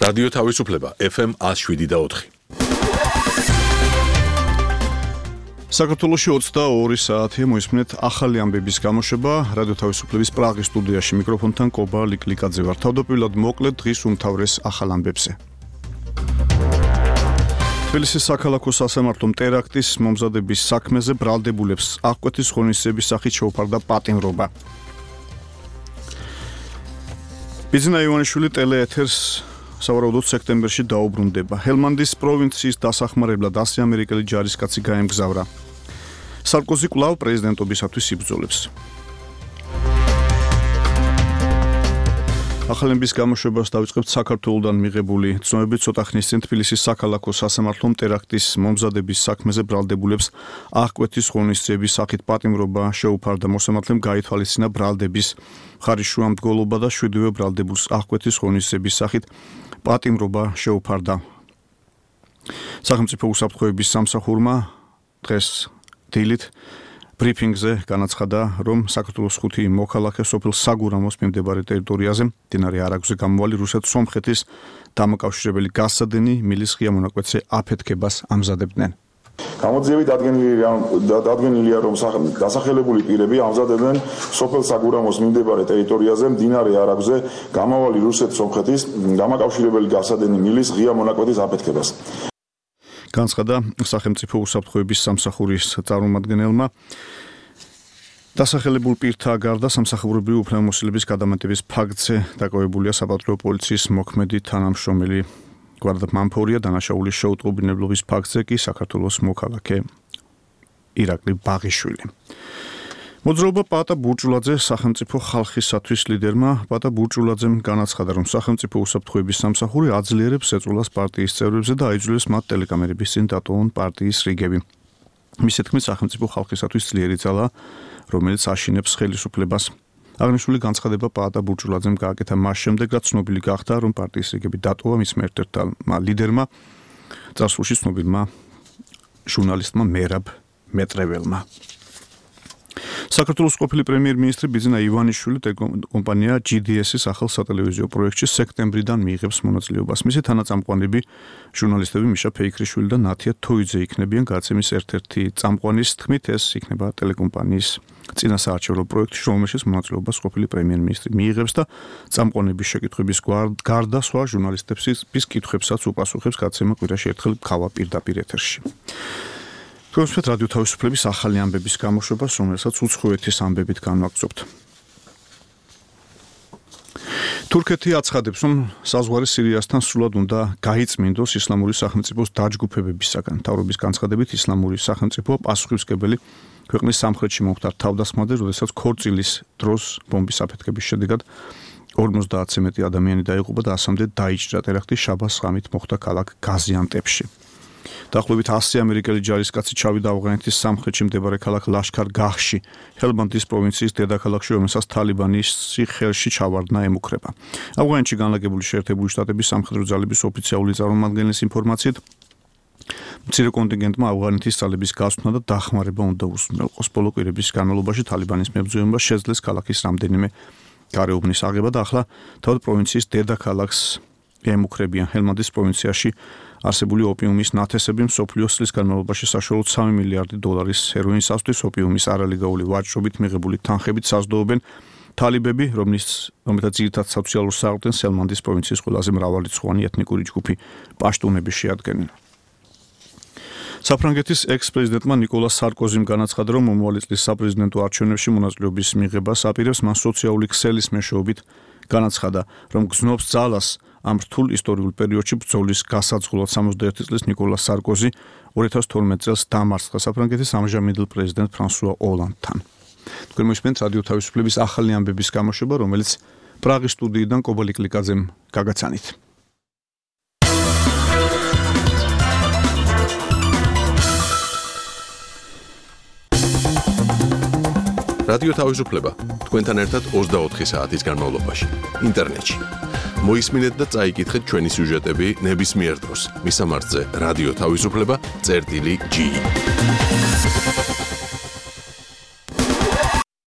რადიო თავისუფლება FM 107.4. საქართველოში 22 საათია მოისმინეთ ახალი ამბების გამოშვება. რადიო თავისუფლების პრაღის სტუდიაში მიკროფონთან კობა ლიკლიკაძე ვარ. თავდაპირველად მოკლედ დღის უმთავრეს ახალ ამბებზე. თბილისის საქალაქო სასამართლომ ტერაქტის მომზადების საქმეზე ბრალდებულებს აღკვეთის ღონისძიების სახით შეუფარდა პატიმრობა. ბიძინა ივანიშვილი ტელეეთერს სავარაუდოდ სექტემბერში დაუბრუნდება. ჰელმანდის პროვინციის დასახმარებლად 100 ამერიკელი ჯარისკაცი გაემგზავრა. სარკოზი კვლავ პრეზიდენტობისათვის იბრძოლებს. ახალების გამოშვებას დავიწყებთ საქართველოდან მიღებული ცნობებით. ცოტა ხნის წინ თბილისის საქალაქო სასამართლომ ტერაქტის მომზადების საქმეზე ბრალდებულებს აღკვეთის ღონისძიების სახით პატიმრობა შეუფარდა. მოსამართლემ გაითვალისწინა ბრალდების ხარისშუამდგოლობა და 7-ვე ბრალდებულს აღკვეთის ღონისძიების სახით პატიმრობა შეუფარდა. სახელმწიფო უსაფრთხოების სამსახურმა დღეს დილით ბრიფინგზე განაცხადა, რომ საქართველოს 5 მოქალაქე სოფელ საგურამოს მიმდებარე ტერიტორიაზე მდინარე არაგვზე გამოვალი რუსეთ-სომხეთის დამაკავშირებელი გასადენი მილის ღია მონაკვეთზე აფეთქებას ამზადებდნენ. გამოძიებით დადგენილია, რომ დასახელებული პირები ამზადებდნენ სოფელ საგურამოს მიმდებარე ტერიტორიაზე მდინარე არაგვზე გამავალი რუსეთ-სომხეთის დამაკავშირებელი გასადენი მილის ღია მონაკვეთის აფეთქებას. განცხადა სახელმწიფო უსაფრთხოების სამსახურის წარმომადგენელმა. დასახელებულ პირთა გარდა სამსახურებრივი უფლებამოსილების გადამეტების ფაქტზე დაკავებულია საპატრულო პოლიციის მოქმედი თანამშრომელი გვარდა მამფორია. დანაშაულის შეუტყობინებლობის ფაქტზე კი საქართველოს მოქალაქე ირაკლი ბაღიშვილი. მოძრაობა პატა ბურჭულაძე სახელმწიფო ხალხისათვის ლიდერმა პატა ბურჭულაძემ განაცხადა, რომ სახელმწიფო უსაფრთხოების სამსახური აძლიერებს ეწოლას პარტიის წევრებზე და აიძულებს მათ ტელეკამერების წინ დატოვონ პარტიის რიგები. მისი თქმით, სახელმწიფო ხალხისათვის ძლიერი ძალა, რომელიც აშინებს ხელისუფლებას. აღნიშნული განცხადება პატა ბურჭულაძემ გააკეთა მას შემდეგ, რაც ცნობილი გახდა, რომ პარტიის რიგები დატოვა მის ერთ-ერთმა ლიდერმა, წარსულში ცნობილმა ჟურნალისტმა მერაბ მეტრეველმა. საქართველოს ყოფილი პრემიერ-მინისტრი ბიძინა ივანიშვილი ტელეკომპანია GDS-ის ახალ სატელევიზიო პროექტში სექტემბრიდან მიიღებს მონაწილეობას. მისი თანაწამყვანები ჟურნალისტები მიშა ფეიქრიშვილი და ნათია თოიძე იქნებიან. გადაცემის ერთ-ერთი წამყვანის თქმით, ეს იქნება ტელეკომპანიის წინასაარჩევნო პროექტი, რომელშიც მონაწილეობას ყოფილი პრემიერ-მინისტრი მიიღებს და წამყვანების შეკითხვების გარდა სხვა ჟურნალისტების კითხვებსაც უპასუხებს. გადაცემა კვირაში ერთხელ ხავა პირდაპირ ეთერში. თქვენს რადიო თავისუფლების ახალი ამბების გამოშვებას, რომელსაც უცხოეთის ამბებით განვაგრძობთ. თურქეთი აცხადებს, რომ საზღვარი სირიასთან სრულად უნდა გაიწმინდოს ისლამური სახელმწიფოს დაჯგუფებებისაგან. მთავრობის განცხადებით, ისლამური სახელმწიფო პასუხისმგებელი ქვეყნის სამხრეთში მომხდარ თავდასხმაზე, როდესაც ქორწილის დროს ბომბის აფეთქების შედეგად 50-ზე მეტი ადამიანი დაიღუპა და 100-მდე დაიჭრა. ტერაქტი შაბას ღამით მოხდა ქალაქ გაზიანტეპში. დაახლოებით 100 ამერიკელი ჯარისკაცი ჩავიდა ავღანეთის სამხრეთში მდებარე ქალაქ ლაშქარ-გაჰში, ჰელმანდის პროვინციის დედაქალაქში, რომელსაც თალიბანის ხელში ჩავარდნა ემუქრება. ავღანეთში განლაგებული შეერთებული შტატების სამხედრო ძალების ოფიციალური წარმომადგენლის ინფორმაციით, მცირე კონტინგენტმა ავღანეთის ძალების გასვლა და დახმარება უნდა უზრუნველყოს. ბოლო კვირების განმავლობაში თალიბანის მებრძოლებმა შეძლეს ქალაქის რამდენიმე გარეუბნის აღება და ახლა თავად პროვინციის დედაქალაქს ემუქრებიან. ჰელმანდის პროვინციაში არსებული ოპიუმის ნათესები მსოფლიოს წლის განმავლობაში საშუალოდ 3 მილიარდი დოლარის ჰეროინს ასვლის. ოპიუმის არალეგალური ვაჭრობით მიღებული თანხებით საზრდოობენ თალიბები, რომელთა ძირითად სოციალურ საყრდენს ჰელმანდის პროვინციის ყველაზე მრავალრიცხოვანი ეთნიკური ჯგუფი პაშტუნები შეადგენენ. საფრანგეთის ექს-პრეზიდენტმა ნიკოლას სარკოზიმ განაცხადა, რომ მომავალი წლის საპრეზიდენტო არჩევნებში მონაწილეობის მიღებას აპირებს. მან სოციალური ქსელის მეშვეობით განაცხადა, რომ გზნობს ძალას ამ რთულ ისტორიულ პერიოდში ბრძოლის გასაწყობად. 61 წლის ნიკოლას სარკოზი 2012 წელს დამარცხა საფრანგეთის ამჟამინდელ პრეზიდენტ ფრანსუა ოლანდთან. თქვენ მოისმენთ რადიო თავისუფლების ახალი ამბების გამოშვება, რომელიც პრაღის სტუდიიდან კობა ლიკლიკაძემ გაგაცანით. რადიო თავისუფლება თქვენთან ერთად 24 საათის განმავლობაში ინტერნეტში. მოისმინეთ და წაიკითხეთ ჩვენი სიუჟეტები ნებისმიერ დროს. მისამართზე რადიო თავისუფლება.gi